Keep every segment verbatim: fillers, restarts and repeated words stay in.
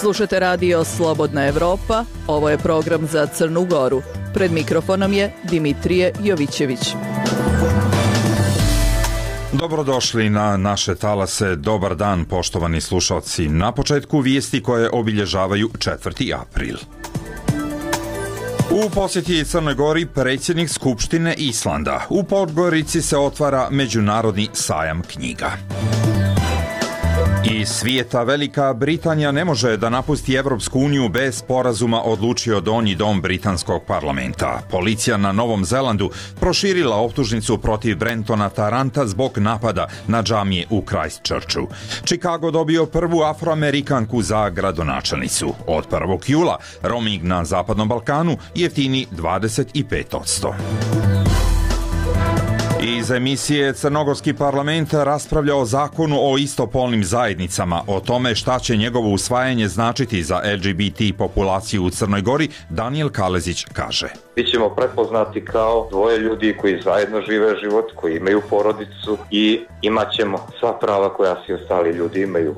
Slušate radio Slobodna Evropa, ovo je program za Crnu Goru. Pred mikrofonom je Dimitrije Jovićević. Dobrodošli na naše talase, dobar dan poštovani slušalci. Na početku vijesti koje obilježavaju četvrti april. U posjeti Crnoj Gori predsjednik Skupštine Islanda. U Podgorici se otvara Međunarodni sajam knjiga. Iz svijeta Velika Britanija ne može da napusti Evropsku uniju bez sporazuma, odlučio donji dom britanskog parlamenta. Policija na Novom Zelandu proširila optužnicu protiv Brentona Taranta zbog napada na džamije u Christchurchu. Chicago dobio prvu Afroamerikanku za gradonačelnicu. Od prvog jula roaming na Zapadnom Balkanu jeftini dvadeset pet posto. Iz emisije Crnogorski parlament raspravlja o zakonu o istopolnim zajednicama. O tome šta će njegovo usvajanje značiti za L G B T populaciju u Crnoj Gori, Danijel Kalezić kaže. Bićemo prepoznati kao dvoje ljudi koji zajedno žive život, koji imaju porodicu i imat ćemo sva prava koja svi ostali ljudi imaju.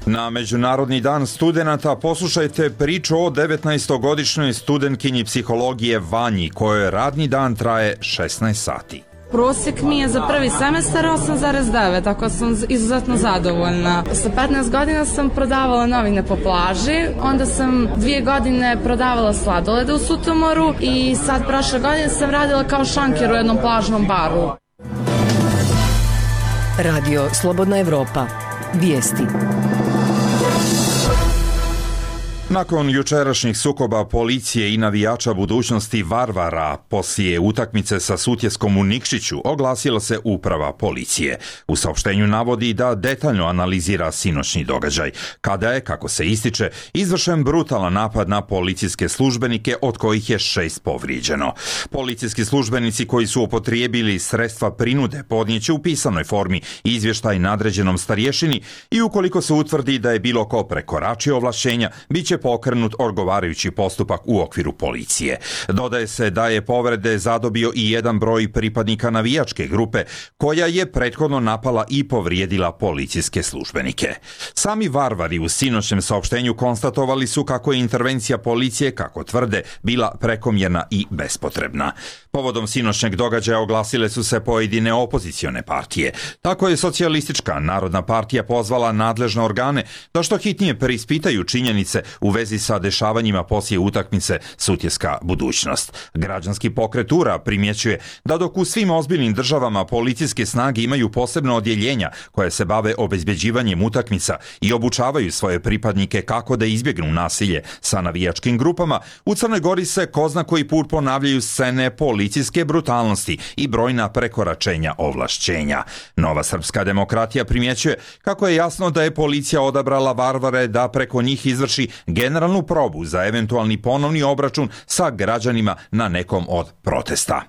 Na Međunarodni dan studenata poslušajte priču o devetnaestogodišnjoj studentkinji psihologije Vanji, kojoj radni dan traje šesnaest sati. Prosjek mi je za prvi semestar osam zarez devet, tako sam izuzetno zadovoljna. Sa petnaest godina sam prodavala novine po plaži, onda sam dvije godine prodavala sladolede u Sutomoru i sad prošle godine sam radila kao šanker u jednom plažnom baru. Radio Slobodna Evropa. Vijesti. Nakon jučerašnjih sukoba policije i navijača budućnosti Varvara poslije utakmice sa Sutjeskom u Nikšiću oglasila se uprava policije. U saopštenju navodi da detaljno analizira sinoćni događaj, kada je, kako se ističe, izvršen brutalan napad na policijske službenike, od kojih je šest povrijeđeno. Policijski službenici koji su upotrijebili sredstva prinude podnijeće u pisanoj formi izvještaj nadređenom starješini i ukoliko se utvrdi da je bilo ko prekoračio ovlašćenja, bit će pokrenut odgovarajući postupak u okviru policije. Dodaje se da je povrede zadobio i jedan broj pripadnika navijačke grupe koja je prethodno napala i povrijedila policijske službenike. Sami Varvari u sinoćnem saopštenju konstatovali su kako je intervencija policije, kako tvrde, bila prekomjerna i bespotrebna. Povodom sinoćnjeg događaja oglasile su se pojedine opozicione partije. Tako je Socijalistička narodna partija pozvala nadležne organe da što hitnije preispitaju činjenice u vezi sa dešavanjima poslije utakmice Sutjeska budućnost. Građanski pokret U R A primjećuje da dok u svim ozbiljnim državama policijske snage imaju posebna odjeljenja koje se bave obezbeđivanjem utakmica i obučavaju svoje pripadnike kako da izbjegnu nasilje sa navijačkim grupama, u Crnoj Gori se ko zna koji put ponavljaju scene policijske brutalnosti i brojna prekoračenja ovlašćenja. Nova Srpska demokratija primjećuje kako je jasno da je policija odabrala Varvare da preko njih izvrši generalnu probu za eventualni ponovni obračun sa građanima na nekom od protesta.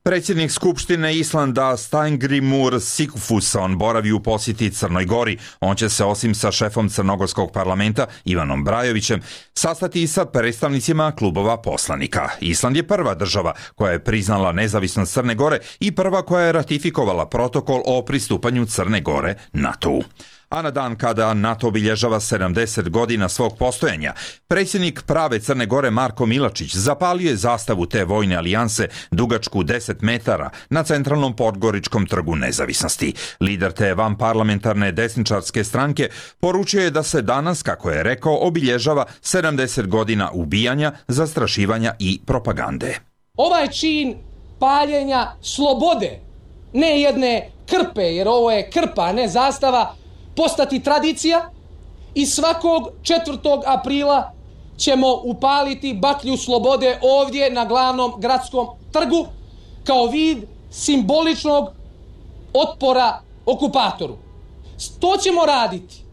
Predsjednik Skupštine Islanda Steingrímur Sigfússon boravi u posjeti Crnoj Gori. On će se osim sa šefom Crnogorskog parlamenta Ivanom Brajovićem sastati i sa predstavnicima klubova poslanika. Island je prva država koja je priznala nezavisnost Crne Gore i prva koja je ratifikovala protokol o pristupanju Crne Gore NATO-u. A na dan kada NATO obilježava sedamdeset godina svog postojanja, predsjednik prave Crne Gore Marko Milačić zapalio je zastavu te vojne alijanse dugačku deset metara na centralnom Podgoričkom trgu nezavisnosti. Lider te vanparlamentarne desničarske stranke poručio je da se danas, kako je rekao, obilježava sedamdeset godina ubijanja, zastrašivanja i propagande. Ovaj čin paljenja slobode, ne jedne krpe, jer ovo je krpa, a ne zastava, postati tradicija i svakog četvrtog aprila ćemo upaliti baklju slobode ovdje na glavnom gradskom trgu kao vid simboličnog otpora okupatoru. To ćemo raditi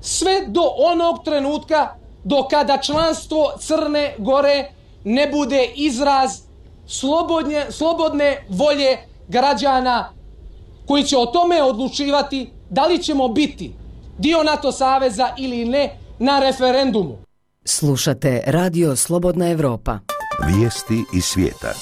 sve do onog trenutka do kada članstvo Crne Gore ne bude izraz slobodne, slobodne volje građana koji će o tome odlučivati da li ćemo biti dio NATO saveza ili ne na referendumu. Slušate Radio Slobodna Evropa. Vijesti iz svijeta.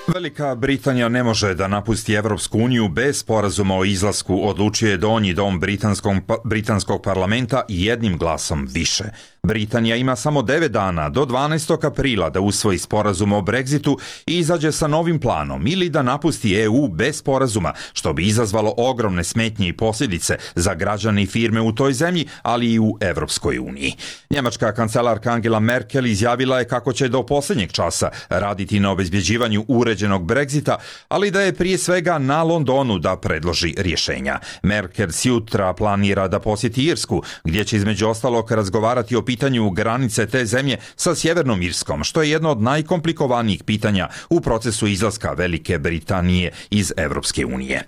Velika Britanija ne može da napusti Evropsku uniju bez sporazuma o izlasku, odlučuje donji dom britanskog, britanskog parlamenta jednim glasom više. Britanija ima samo devet dana do dvanaestog aprila da usvoji sporazum o Brexitu i izađe sa novim planom ili da napusti E U bez sporazuma, što bi izazvalo ogromne smetnje i posljedice za građane i firme u toj zemlji, ali i u Evropskoj uniji. Njemačka kancelarka Angela Merkel izjavila je kako će do posljednjeg časa raditi na obezbjeđivanju uređenog Brexita, ali da je prije svega na Londonu da predloži rješenja. Merkel sutra planira da posjeti Irsku, gdje će između ostalog razgovarati o pitanju granice te zemlje sa Sjevernom Irskom, što je jedno od najkomplikovanijih pitanja u procesu izlaska Velike Britanije iz Evropske unije.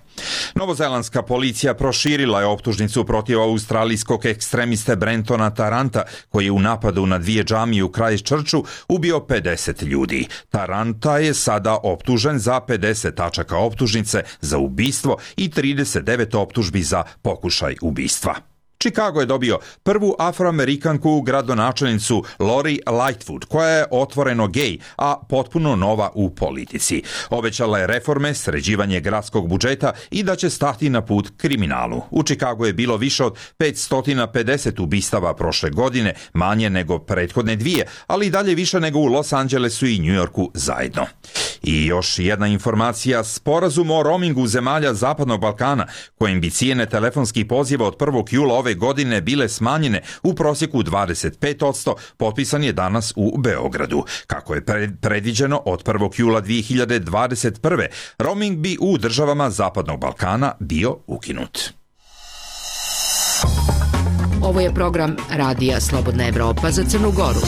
Novozelandska policija proširila je optužnicu protiv australijskog ekstremiste Brentona Taranta, koji je u napadu na dvije džamije u Christchurchu ubio pedeset ljudi. Taranta je sada optužen za pedeset tačaka optužnice za ubistvo i trideset devet optužbi za pokušaj ubistva. Chicago je dobio prvu afroamerikanku gradonačelnicu Lori Lightfoot, koja je otvoreno gej, a potpuno nova u politici. Obećala je reforme, sređivanje gradskog budžeta i da će stati na put kriminalu. U Chicagu je bilo više od petsto pedeset ubistava prošle godine, manje nego prethodne dvije, ali i dalje više nego u Los Angelesu i New Yorku zajedno. I još jedna informacija, sporazum o roamingu zemalja Zapadnog Balkana, kojim bi cijene telefonskih poziva od prvog jula ove godine bile smanjene u prosjeku dvadeset pet posto, potpisan je danas u Beogradu. Kako je predviđeno, od prvog jula dvije hiljade dvadeset prve. roaming bi u državama Zapadnog Balkana bio ukinut. Ovo je program Radija Slobodna Evropa za Crnu Goru.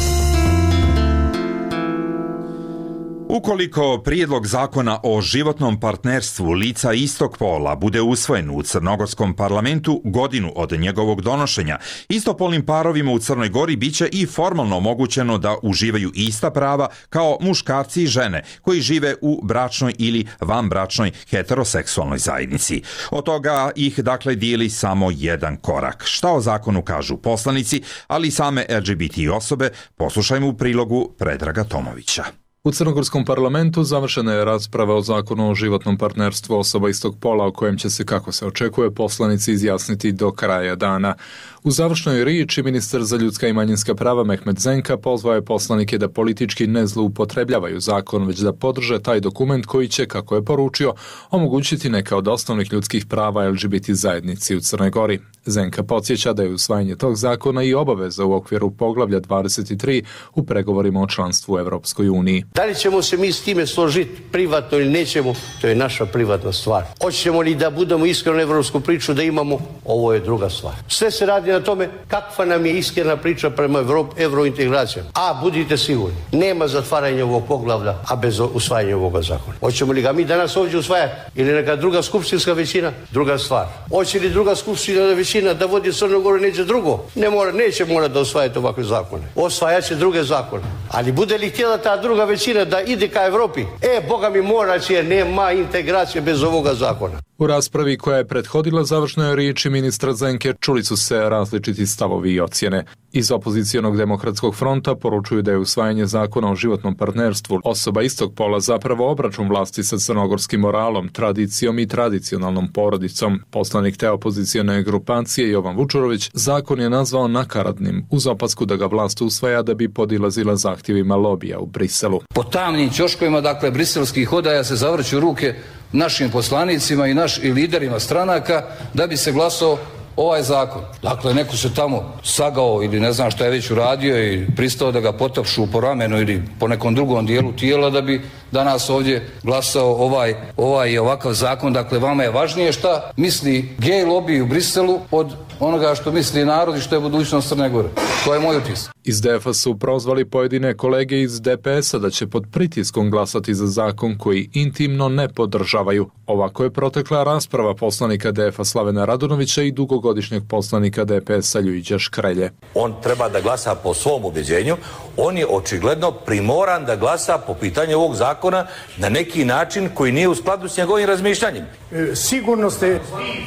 Ukoliko prijedlog zakona o životnom partnerstvu lica istog pola bude usvojen u crnogorskom parlamentu godinu od njegovog donošenja, istopolnim parovima u Crnoj Gori biće i formalno omogućeno da uživaju ista prava kao muškarci i žene koji žive u bračnoj ili vanbračnoj heteroseksualnoj zajednici. Od toga ih dakle dijeli samo jedan korak. Šta o zakonu kažu poslanici, ali i same L G B T osobe, poslušajmo u prilogu Predraga Tomovića. U crnogorskom parlamentu završena je rasprava o zakonu o životnom partnerstvu osoba istog pola, o kojem će se, kako se očekuje, poslanici izjasniti do kraja dana. U završnoj riječi ministar za ljudska i manjinska prava Mehmet Zenka pozvao je poslanike da politički ne zloupotrebljavaju zakon, već da podrže taj dokument koji će, kako je poručio, omogućiti neka od osnovnih ljudskih prava L G B T zajednici u Crnoj Gori. Zenka podsjeća da je usvajanje tog zakona i obaveza u okviru poglavlja dvadeset tri u pregovorima o članstvu u Evropskoj uniji. Da li ćemo se mi s time složiti privatno ili nećemo, to je naša privatna stvar. Hoćemo li da budemo iskreno evropsku priču da imamo, ovo je druga stvar. Sve se radi na tome kakva nam je iskrena priča prema evrointegracijama. A budite sigurni, nema zatvaranja ovog poglavlja, a bez usvajanja ovoga zakona. Hoćemo li ga mi danas ovdje usvajati ili neka druga skupštinska većina, druga stvar. Hoće li druga skupštinska većina da vodi Crnu Goru neće drugo? Ne mora, neće mora da usvajate ovakve zakone. Osvajat će druge zakone. Ali bude li htjela ta druga većina da ide ka Evropi, e, Boga mi mora će, nema integracije bez ovoga zakona. U raspravi koja je prethodila završnoj riječi ministra Zenke čuli su se različiti stavovi i ocjene. Iz opozicionog demokratskog fronta poručuju da je usvajanje zakona o životnom partnerstvu osoba istog pola zapravo obračun vlasti sa crnogorskim moralom, tradicijom i tradicionalnom porodicom. Poslanik te opozicione grupacije Jovan Vučurović zakon je nazvao nakaradnim, uz opasku da ga vlast usvaja da bi podilazila zahtjevima lobija u Briselu. Po tamnim ćoškovima, dakle, briselskih odaja se zavrću ruke našim poslanicima i naš i liderima stranaka da bi se glasao ovaj zakon. Dakle, neko se tamo sagao ili ne znam šta je već uradio i pristao da ga potapšu po ramenu ili po nekom drugom dijelu tijela da bi danas ovdje glasao ovaj, ovaj i ovakav zakon. Dakle, vama je važnije šta misli gej lobby u Briselu od onoga što misli narod i što je budućnost Crne Gore. To je moj utisak. Iz D F A su prozvali pojedine kolege iz D P S-a da će pod pritiskom glasati za zakon koji intimno ne podržavaju. Ovako je protekla rasprava poslanika D F A Slavena Radunovića i dugogodišnjeg poslanika D P S-a Ljujića Škrelje. On treba da glasa po svom ubeđenju, on je očigledno primoran da glasa po pitanju ovog zakona zakona na neki način koji nije u skladu s njegovim razmišljanjem. E, sigurno ste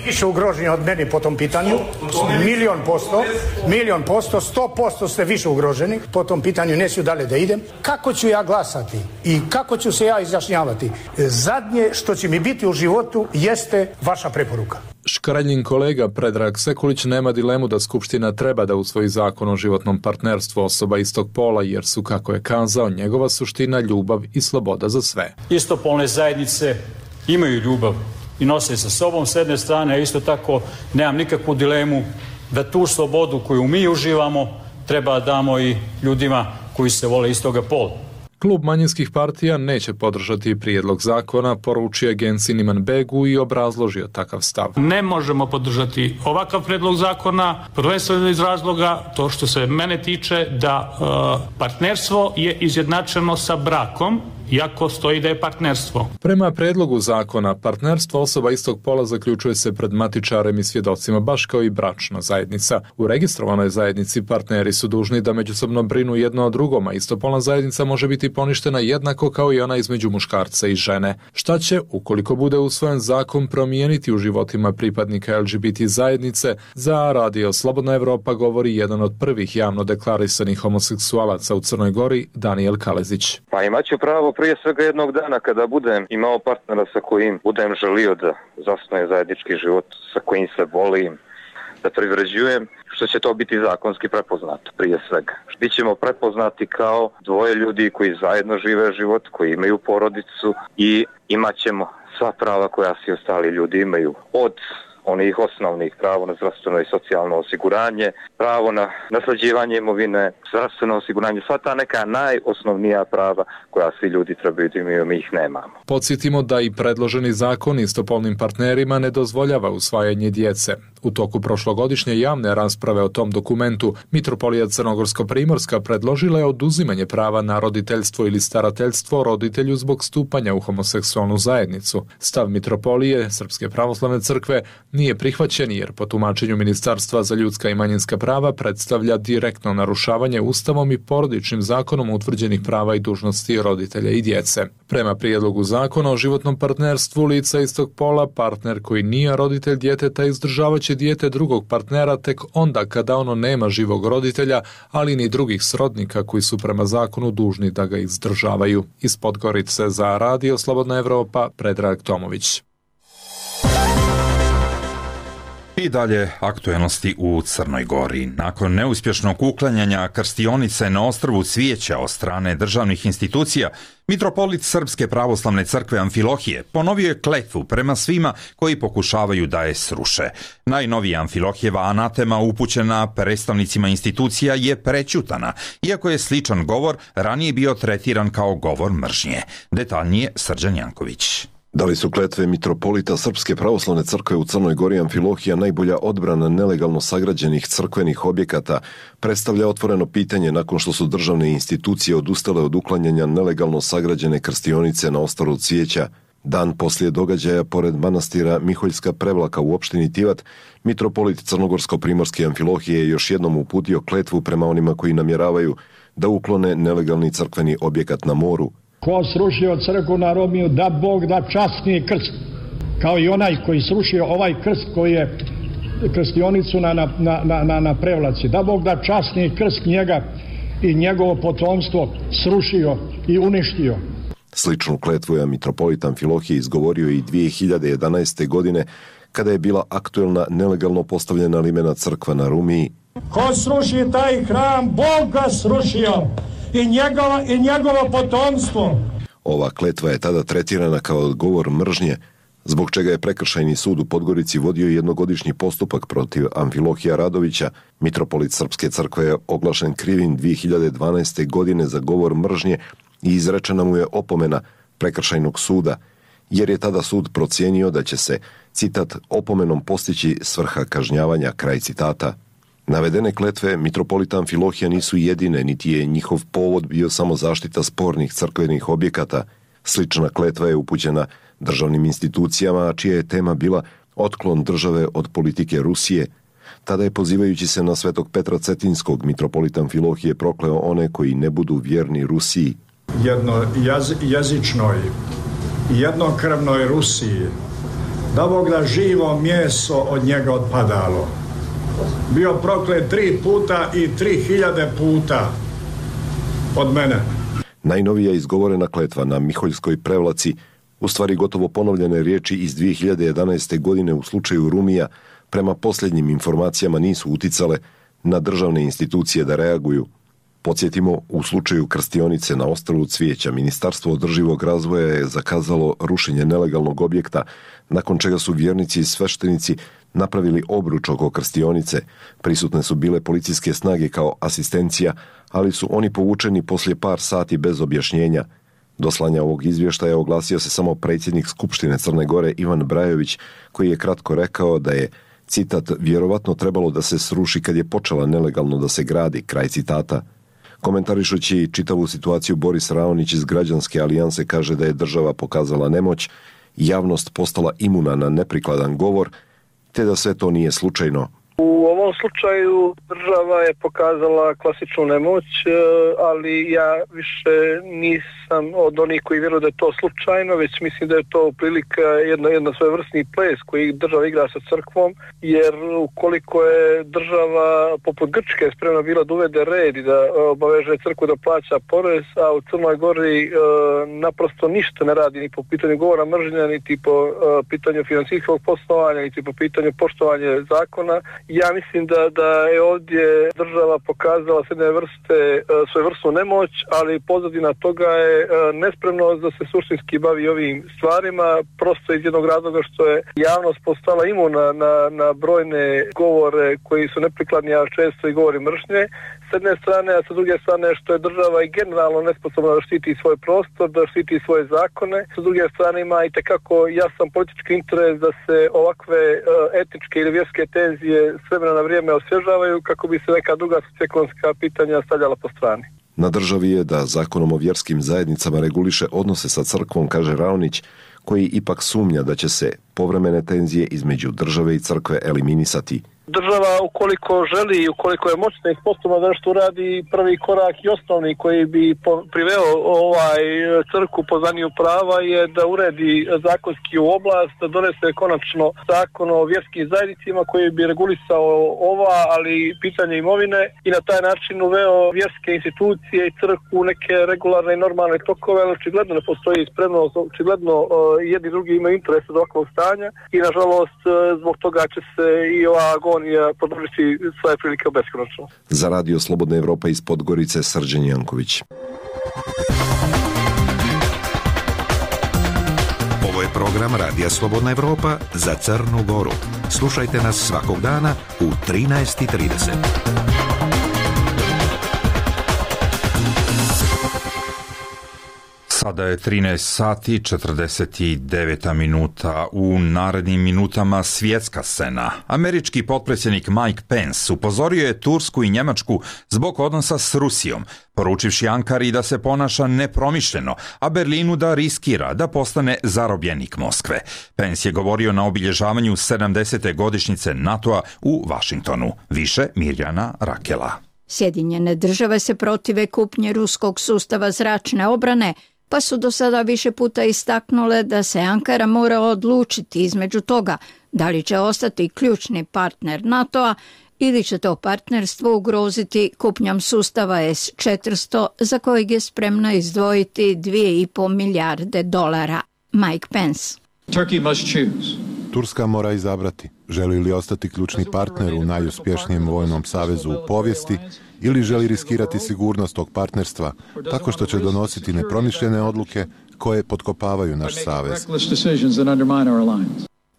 više ugroženi od mene po tom pitanju. Milion posto, milion posto, sto posto ste više ugroženi po tom pitanju, neću dalje da idem. Kako ću ja glasati i kako ću se ja izjašnjavati? E, zadnje što će mi biti u životu jeste vaša preporuka. Škraljin kolega Predrag Sekulić nema dilemu da Skupština treba da usvoji zakon o životnom partnerstvu osoba istog pola, jer su, kako je kazao, njegova suština ljubav i sloboda za sve. Istopolne zajednice imaju ljubav i nose sa sobom s jedne strane, a isto tako nemam nikakvu dilemu da tu slobodu koju mi uživamo treba damo i ljudima koji se vole istoga pola. Klub manjinskih partija neće podržati prijedlog zakona, poručio Agenciji Niman Begu i obrazložio takav stav. Ne možemo podržati ovakav prijedlog zakona, prvenstveno iz razloga, to što se mene tiče, da e, partnerstvo je izjednačeno sa brakom, iako stoji da je partnerstvo. Prema predlogu zakona, partnerstvo osoba istog pola zaključuje se pred matičarem i svjedocima, baš kao i bračna zajednica. U registrovanoj zajednici partneri su dužni da međusobno brinu jedno o drugom, a istopolna zajednica može biti poništena jednako kao i ona između muškarca i žene. Šta će, ukoliko bude usvojen zakon, promijeniti u životima pripadnika L G B T zajednice? Za Radio Slobodna Evropa govori jedan od prvih javno deklarisanih homoseksualaca u Crnoj Gori, Daniel Kalezić. Pa imaću pravo prije svega jednog dana kada budem imao partnera sa kojim budem želio da zasnuje zajednički život, sa kojim se volim, da privređujem, što će to biti zakonski prepoznato prije svega. Bićemo prepoznati kao dvoje ljudi koji zajedno žive život, koji imaju porodicu i imat ćemo sva prava koja svi ostali ljudi imaju, od onih osnovnih pravo na zdravstveno i socijalno osiguranje, pravo na naslađivanje imovine, zdravstveno osiguranje, sva ta neka najosnovnija prava koja svi ljudi trebaju da imaju, mi ih nemamo. Podsjetimo da i predloženi zakon istopolnim partnerima ne dozvoljava usvajanje djece. U toku prošlogodišnje javne rasprave o tom dokumentu, Mitropolija Crnogorsko-Primorska predložila je oduzimanje prava na roditeljstvo ili starateljstvo roditelju zbog stupanja u homoseksualnu zajednicu. Stav Mitropolije Srpske pravoslavne crkve nije prihvaćen jer po tumačenju Ministarstva za ljudska i manjinska prava predstavlja direktno narušavanje Ustavom i porodičnim zakonom utvrđenih prava i dužnosti roditelja i djece. Prema prijedlogu zakona o životnom partnerstvu lica istog pola, partner koji nije roditelj djeteta izdržavat će dijete drugog partnera tek onda kada ono nema živog roditelja, ali ni drugih srodnika koji su prema zakonu dužni da ga izdržavaju. Iz Podgorice za Radio Slobodna Evropa, Predrag Tomović. I dalje aktuelnosti u Crnoj Gori. Nakon neuspješnog uklanjanja krstionice na ostrvu Cvijeća od strane državnih institucija, mitropolit Srpske pravoslavne crkve Amfilohije ponovio je kletvu prema svima koji pokušavaju da je sruše. Najnovija Amfilohijeva anatema upućena predstavnicima institucija je prećutana, iako je sličan govor ranije bio tretiran kao govor mržnje. Detaljnije Srđan Janković. Da li su kletve mitropolita Srpske pravoslavne crkve u Crnoj Gori Amfilohija najbolja odbrana nelegalno sagrađenih crkvenih objekata, predstavlja otvoreno pitanje nakon što su državne institucije odustale od uklanjanja nelegalno sagrađene krstionice na ostrvu Cvijeća. Dan poslije događaja pored manastira Miholjska Prevlaka u opštini Tivat, mitropolit Crnogorsko-Primorske Amfilohije je još jednom uputio kletvu prema onima koji namjeravaju da uklone nelegalni crkveni objekat na moru. Ko srušio crkvu na Romiju, da Bog da časni krst, kao i onaj koji srušio ovaj krst koji je krstionicu na, na, na, na, na Prevlaci, da Bog da časni krst njega i njegovo potomstvo srušio i uništio. Sličnu kletvu je mitropolit Amfilohije izgovorio i dvije hiljade jedanaeste. godine kada je bila aktuelna nelegalno postavljena limena crkva na Rumiji. Ko sruši taj hram, Bog ga srušio i njegovo, i njegovo potomstvo. Ova kletva je tada tretirana kao govor mržnje, zbog čega je prekršajni sud u Podgorici vodio jednogodišnji postupak protiv Amfilohija Radovića. Mitropolit Srpske crkve je oglašen krivim dvije hiljade dvanaeste. godine za govor mržnje i izrečena mu je opomena prekršajnog suda, jer je tada sud procijenio da će se, citat, opomenom postići svrha kažnjavanja, kraj citata. Navedene kletve mitropolita Amfilohija nisu jedine, niti je njihov povod bio samo zaštita spornih crkvenih objekata. Slična kletva je upućena državnim institucijama, a čija je tema bila otklon države od politike Rusije. Tada je, pozivajući se na svetog Petra Cetinskog, mitropolita Amfilohije prokleo one koji ne budu vjerni Rusiji. jednojezičnoj, jednokrvnoj Rusiji, da Bog da živo meso od njega odpadalo. Bio proklet tri puta i tri hiljade puta od mene. Najnovija izgovorena kletva na Miholjskoj Prevlaci, u stvari gotovo ponovljene riječi iz dvije hiljade jedanaeste. godine u slučaju Rumija, prema posljednjim informacijama nisu uticale na državne institucije da reaguju. Podsjetimo, u slučaju Krstionice na ostrvu Cvijeća, Ministarstvo održivog razvoja je zakazalo rušenje nelegalnog objekta, nakon čega su vjernici i sveštenici napravili obruč oko Krstionice. Prisutne su bile policijske snage kao asistencija, ali su oni povučeni poslije par sati bez objašnjenja. Do slanja ovog izvještaja oglasio se samo predsjednik Skupštine Crne Gore Ivan Brajović, koji je kratko rekao da je, citat, vjerovatno trebalo da se sruši kad je počela nelegalno da se gradi, kraj citata. Komentarišući čitavu situaciju, Boris Raonić iz Građanske alijanse kaže da je država pokazala nemoć, javnost postala imuna na neprikladan govor, te da sve to nije slučajno. U ovom slučaju država je pokazala klasičnu nemoć, ali ja više nisam od onih koji vjeruju da je to slučajno, već mislim da je to prilika jedna, jedna svojevrsni ples koji država igra sa crkvom, jer ukoliko je država poput Grčke spremna bila da uvede red i da obaveže crkvu da plaća porez, a u Crnoj Gori e, naprosto ništa ne radi ni po pitanju govora mržnja, niti po e, pitanju financijskog poslovanja, niti po pitanju poštovanja zakona, ja mislim da, da je ovdje država pokazala s jedne vrste svoju vrstu nemoć, ali pozadina toga je nespremnost da se suštinski bavi ovim stvarima, prosto iz jednog razloga što je javnost postala imuna na, na brojne govore koji su neprikladni, a često i govori mržnje. S jedne strane, a sa druge strane što je država i generalno nesposobna da štiti svoj prostor, da štiti svoje zakone. S druge strane ima i tekako jasan politički interes da se ovakve etničke ili vjerske tenzije s vremena na vrijeme osvježavaju kako bi se neka druga socioekonomska pitanja stavljala po strani. Na državi je da zakonom o vjerskim zajednicama reguliše odnose sa crkvom, kaže Raonić, koji ipak sumnja da će se povremene tenzije između države i crkve eliminisati. Država ukoliko želi i ukoliko je moćna i sposobna da nešto uradi, prvi korak i osnovni koji bi priveo ovaj crkvu po zaniju prava je da uredi zakonski u oblast, da donese konačno zakon o vjerskim zajednicama koji bi regulisao ova, ali pitanje imovine i na taj način uveo vjerske institucije i crkvu neke regularne i normalne tokove, ali očigledno ne postoji spremnost, očigledno jedni drugi imaju interes od ovakvog stanja i nažalost zbog toga će se i ova agonija podržiti svoje prilike beskonačno. Za Radio Slobodna Evropa iz Podgorice, Srđan Janković. Ovo je program Radija Slobodna Evropa za Crnu Goru. Slušajte nas svakog dana u trinaest i trideset. Sada je trinaest sati četrdeset devet minuta. U narednim minutama svjetska scena. Američki potpredsjednik Mike Pence upozorio je Tursku i Njemačku zbog odnosa s Rusijom, poručivši Ankari da se ponaša nepromišljeno, a Berlinu da riskira da postane zarobljenik Moskve. Pence je govorio na obilježavanju sedamdesete godišnjice NATO-a u Vašingtonu. Više Mirjana Rakela. Sjedinjene države se protive kupnje ruskog sustava zračne obrane, pa su do sada više puta istaknule da se Ankara mora odlučiti između toga da li će ostati ključni partner NATO-a ili će to partnerstvo ugroziti kupnjom sustava S četiristo za kojeg je spremna izdvojiti dvije i pol milijarde dolara. Mike Pence. Turkey must choose. Turska mora izabrati želi li ostati ključni partner u najuspješnijem vojnom savezu u povijesti ili želi riskirati sigurnost tog partnerstva tako što će donositi nepromišljene odluke koje potkopavaju naš savez.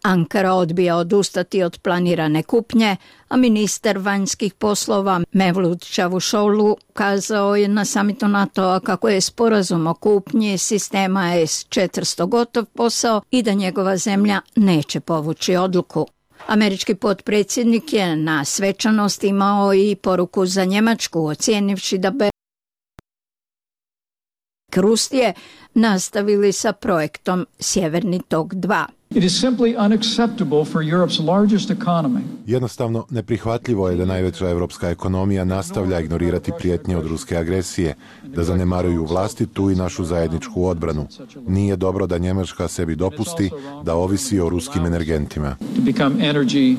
Ankara odbija odustati od planirane kupnje, a ministar vanjskih poslova Mevlut Čavusoglu kazao je na samitu NATO-a kako je sporazum o kupnji sistema S četiristo gotov posao i da njegova zemlja neće povući odluku. Američki potpredsjednik je na svečanosti imao i poruku za Njemačku, ocijenivši da be Rusije nastavili sa projektom Sjeverni tok dva. It is simply unacceptable for Europe's largest economy. Jednostavno neprihvatljivo je da najveća evropska ekonomija nastavlja ignorirati prijetnje od ruske agresije, da zanemaruju vlastitu i našu zajedničku odbranu. Nije dobro da Njemačka sebi dopusti da ovisi o ruskim energentima. To become energy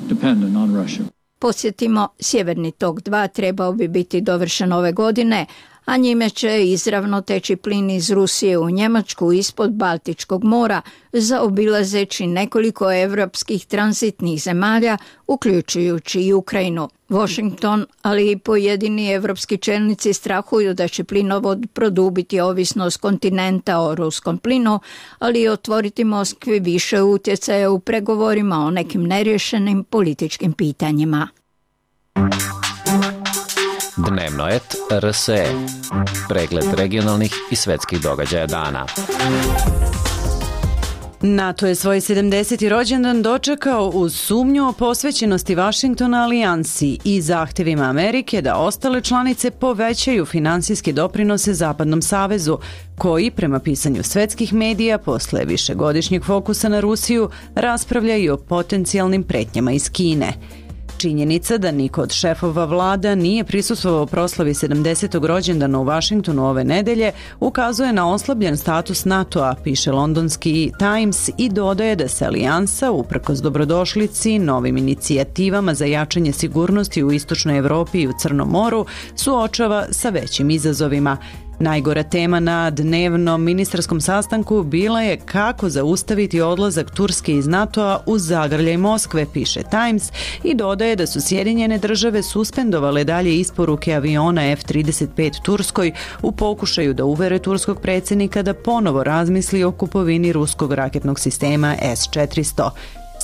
dependent on Russia. Podsjetimo, Sjeverni tok dva trebao bi biti dovršen ove godine, a njime će izravno teći plin iz Rusije u Njemačku ispod Baltičkog mora, zaobilazeći nekoliko evropskih tranzitnih zemalja, uključujući i Ukrajinu. Washington, ali i pojedini evropski čelnici strahuju da će plinovod produbiti ovisnost kontinenta o ruskom plinu, ali i otvoriti Moskvi više utjecaja u pregovorima o nekim nerješenim političkim pitanjima. Dnevno et R S E. Pregled regionalnih i svetskih događaja dana. NATO je svoj sedamdeseti rođendan dočekao uz sumnju o posvećenosti Vašingtona alijansi i zahtjevima Amerike da ostale članice povećaju finansijske doprinose Zapadnom savezu, koji, prema pisanju svetskih medija, posle višegodišnjeg fokusa na Rusiju, raspravlja i o potencijalnim pretnjama iz Kine. Činjenica da niko od šefova vlada nije prisustvovao proslavi sedamdesetog rođendana u Vašingtonu ove nedelje ukazuje na oslabljen status NATO-a, piše londonski Times, i dodaje da se alijansa, uprkos dobrodošlici, novim inicijativama za jačanje sigurnosti u Istočnoj Evropi i u Crnom moru, suočava sa većim izazovima. Najgora tema na dnevnom ministarskom sastanku bila je kako zaustaviti odlazak Turske iz NATO-a uz zagrljaj Moskve, piše Times, i dodaje da su Sjedinjene države suspendovale dalje isporuke aviona F trideset pet Turskoj u pokušaju da uvere turskog predsjednika da ponovo razmisli o kupovini ruskog raketnog sistema S četiristo.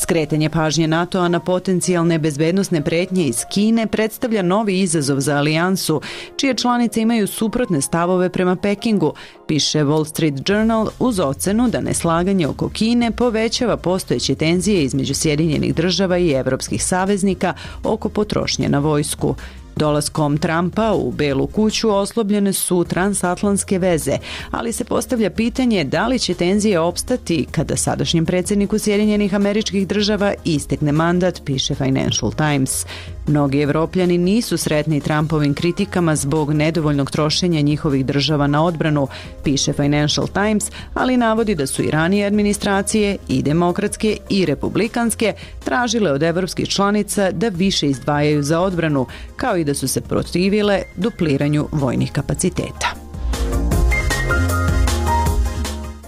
Skretanje pažnje NATO-a na potencijalne bezbednosne pretnje iz Kine predstavlja novi izazov za alijansu, čije članice imaju suprotne stavove prema Pekingu, piše Wall Street Journal, uz ocenu da neslaganje oko Kine povećava postojeće tenzije između Sjedinjenih država i evropskih saveznika oko potrošnje na vojsku. Dolaskom Trumpa u Belu kuću oslobljene su transatlantske veze, ali se postavlja pitanje da li će tenzije opstati kada sadašnjem predsjedniku Sjedinjenih Američkih Država istekne mandat, piše Financial Times. Mnogi Evropljani nisu sretni Trumpovim kritikama zbog nedovoljnog trošenja njihovih država na odbranu, piše Financial Times, ali navodi da su i ranije administracije, i demokratske i republikanske, tražile od evropskih članica da više izdvajaju za odbranu, kao i da su se protivile dupliranju vojnih kapaciteta.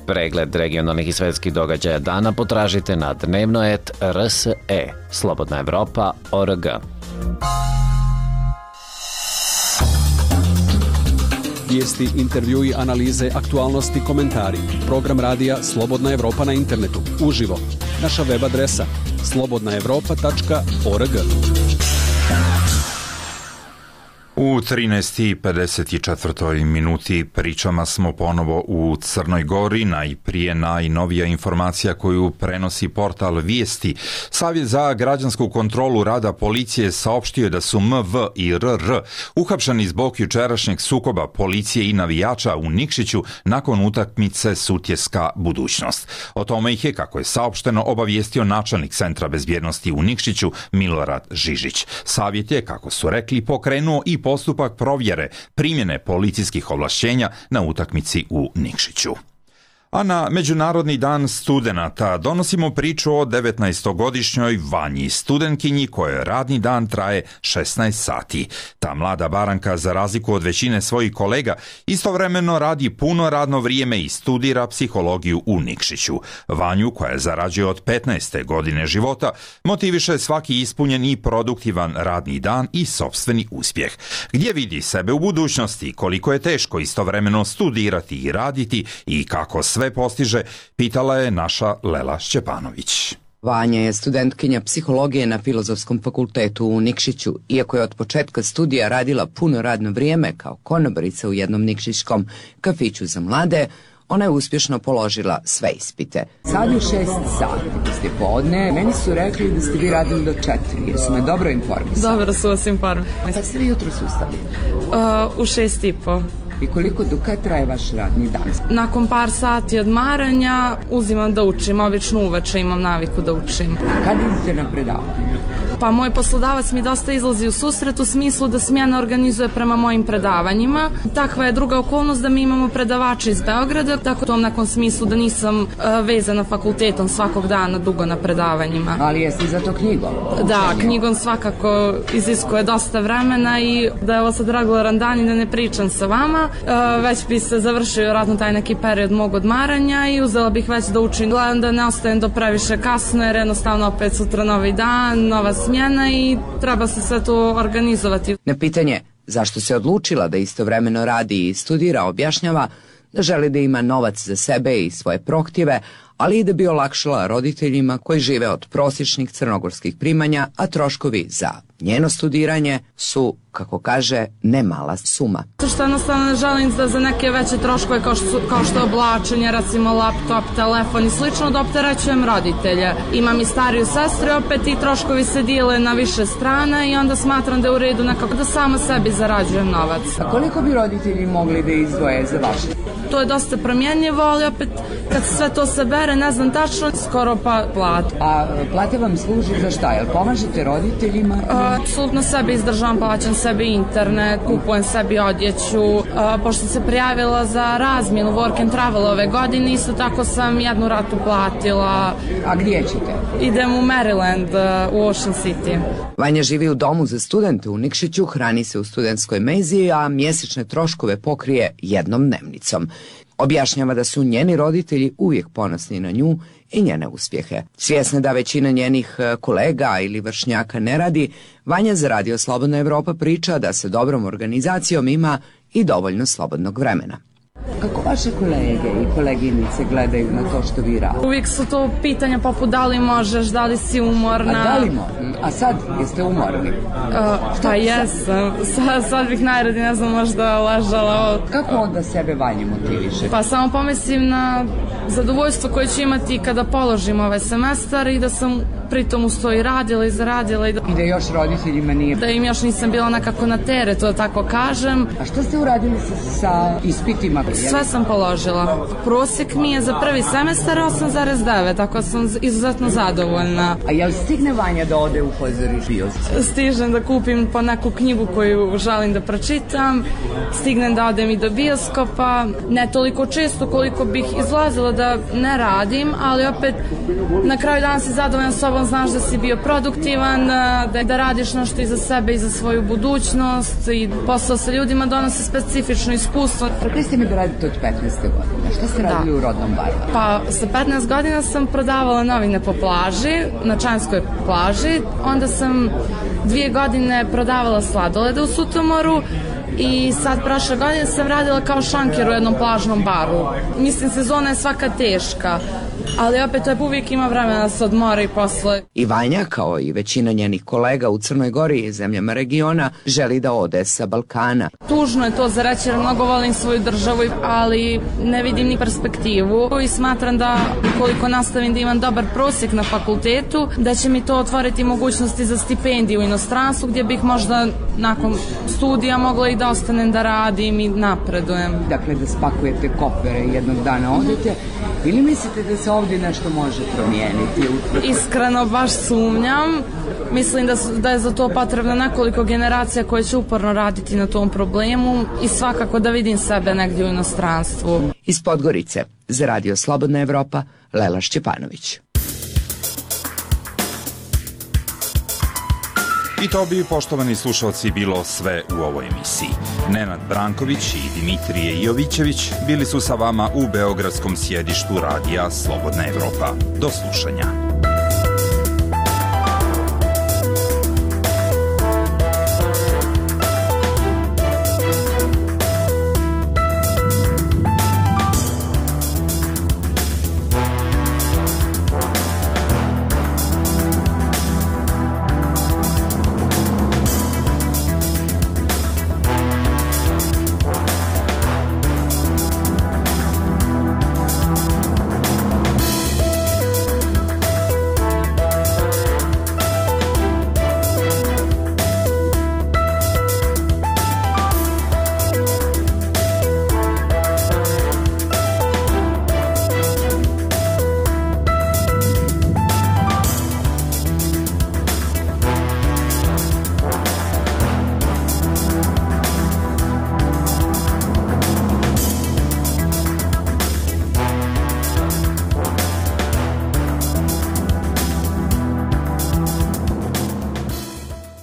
Pregled regionalnih i svetskih događaja dana potražite na dnevno et R S E, Slobodna Evropa, O R G. Vijesti, intervjui, analize, aktualnosti, komentari. Program radija Slobodna Evropa na internetu, uživo. Naša web adresa slobodna evropa tačka org. U trinaest i pedeset četiri minuti pričama smo ponovo u Crnoj Gori, najprije najnovija informacija koju prenosi portal Vijesti. Savjet za građansku kontrolu rada policije saopštio da su M V i R R uhapšeni zbog jučerašnjeg sukoba policije i navijača u Nikšiću nakon utakmice Sutjeska budućnost. O tome ih je, kako je saopšteno, obavijestio načelnik Centra bezbjednosti u Nikšiću Milorad Žižić. Savjet je, kako su rekli, pokrenuo i postupak provjere primjene policijskih ovlašćenja na utakmici u Nikšiću. A na Međunarodni dan studenata donosimo priču o devetnaestogodišnjoj Vanji, studentkinji kojoj radni dan traje šesnaest sati. Ta mlada baranka, za razliku od većine svojih kolega, istovremeno radi puno radno vrijeme i studira psihologiju u Nikšiću. Vanju, koja zarađuje od petnaeste godine života, motiviše svaki ispunjen i produktivan radni dan i sopstveni uspjeh. Gdje vidi sebe u budućnosti, koliko je teško istovremeno studirati i raditi i kako sve postiže, pitala je naša Lela Šćepanović. Vanja je studentkinja psihologije na Filozofskom fakultetu u Nikšiću. Iako je od početka studija radila puno radno vrijeme kao konobarica u jednom nikšićkom kafiću za mlade, ona je uspješno položila sve ispite. Sad je šest sati, ste podne. Meni su rekli da ste vi radili do četiri. Jesu me dobro informisali? Dobro su vas informisali. Kad ste vi jutro ustali? Uh, u šest i po. I koliko, do kad traje vaš radni dan? Nakon par sati odmaranja uzimam da učim, obično uveče imam naviku da učim. Kad idete na predavanje? Pa moj poslodavac mi dosta izlazi u susret u smislu da smjena organizuje prema mojim predavanjima. Takva je druga okolnost da mi imamo predavače iz Beograda, tako to nakon smislu da nisam uh, vezana fakultetom svakog dana dugo na predavanjima. Ali jesi za to knjigom? Da, knjigom svakako iziskuje dosta vremena i da je ovo sad regularan dan i da ne pričam sa vama. Uh, već bi se završio vjerojatno taj neki period mog odmaranja i uzela bih već da učim. Gledam da ne ostajem do previše kasno jer jednostavno opet sutra novi dan, nova smjena i treba se sve to organizovati. Na pitanje zašto se odlučila da istovremeno radi i studira objašnjava da želi da ima novac za sebe i svoje prohtjeve, ali i da bi olakšala roditeljima koji žive od prosječnih crnogorskih primanja, a troškovi za njeno studiranje su, kako kaže, ne mala suma. To što jednostavno ne želim da za neke veće troškove kao što, kao što je oblačenje, recimo laptop, telefon i slično, da opterećujem roditelje. Imam i stariju sestru, opet i troškovi se dijele na više strana i onda smatram da je u redu nekako da sama sebi zarađujem novac. A koliko bi roditelji mogli da izdvoje za vaše? To je dosta promjenjivo, ali opet kad se sve to sabere, ne znam tačno, skoro pa plat. A plate vam služi za šta? Jel pomažete roditeljima? Apsolutno sebi izdržavam, plaćam sebi internet, kupujem sebi odjeću. A, pošto se prijavila za razmjenu work and travel ove godine, isto tako sam jednu ratu platila. A gdje ćete? Idem u Maryland, u Ocean City. Vanja živi u domu za studente u Nikšiću, hrani se u studentskoj menzi, a mjesečne troškove pokrije jednom dnevnicom. Objašnjava da su njeni roditelji uvijek ponosni na nju i njene uspjehe. Svjesna da većina njenih kolega ili vršnjaka ne radi, Vanja za Radio Slobodna Evropa priča da se dobrom organizacijom ima i dovoljno slobodnog vremena. Kako vaše kolege i koleginice gledaju na to što vi radite? Uvijek su to pitanja poput da li možeš, da li si umorna. A da li možeš? A sad jeste umorni? Uh, pa jesam. Sad, sad bih najradije, ne znam, možda ležala. Kako onda sebe Vanje motiviše? Pa samo pomislim na zadovoljstvo koje ću imati kada položim ovaj semestar i da sam pritom uz to i radila i zaradila. I da, I da još roditeljima nije... Da im još nisam bila nekako na teretu, da tako kažem. A što ste uradili sa, sa ispitima? Sve sam položila. Prosjek mi je za prvi semestar osam zarez devet, tako sam izuzetno zadovoljna. A jel stigne Vanja da ode u pozorište? Stižem da kupim po neku knjigu koju želim da pročitam, stignem da odem i do bioskopa, ne toliko često koliko bih izlazila da ne radim, ali opet na kraju dana si zadovoljan sobom, znaš da si bio produktivan, da, da radiš nešto i za sebe i za svoju budućnost i posao sa ljudima donosi specifično iskustvo. Rekli ste mi da radite od petnaeste godine. Šta ste radili da. u rodnom baru? Pa sa petnaest godina sam prodavala novine po plaži, na Čanskoj plaži. Onda sam dvije godine prodavala sladolede u Sutomoru i sad prošle godine sam radila kao šanker u jednom plažnom baru. Mislim, sezona je svaka teška, ali opet uvijek ima vremena da se odmori posle. I Vanja, kao i većina njenih kolega u Crnoj Gori i zemljama regiona, želi da ode sa Balkana. Tužno je to za reći jer mnogo volim svoju državu, ali ne vidim ni perspektivu i smatram da ukoliko nastavim da imam dobar prosjek na fakultetu, da će mi to otvoriti mogućnosti za stipendiju u inostranstvu gdje bih možda nakon studija mogla i da ostanem da radim i napredujem. Dakle, da spakujete kofere i jednog dana odete, ili mislite da se ovdje nešto može promijeniti? Iskreno baš sumnjam. Mislim da, su, da je za to potrebno nekoliko generacija koje će uporno raditi na tom problemu i svakako da vidim sebe negdje u inostranstvu. Iz Podgorice, za Radio Slobodna Evropa, Lela Šćepanović. I to bi, poštovani slušalci, bilo sve u ovoj emisiji. Nenad Branković i Dimitrije Jovićević bili su sa vama u beogradskom sjedištu Radija Slobodna Evropa. Do slušanja.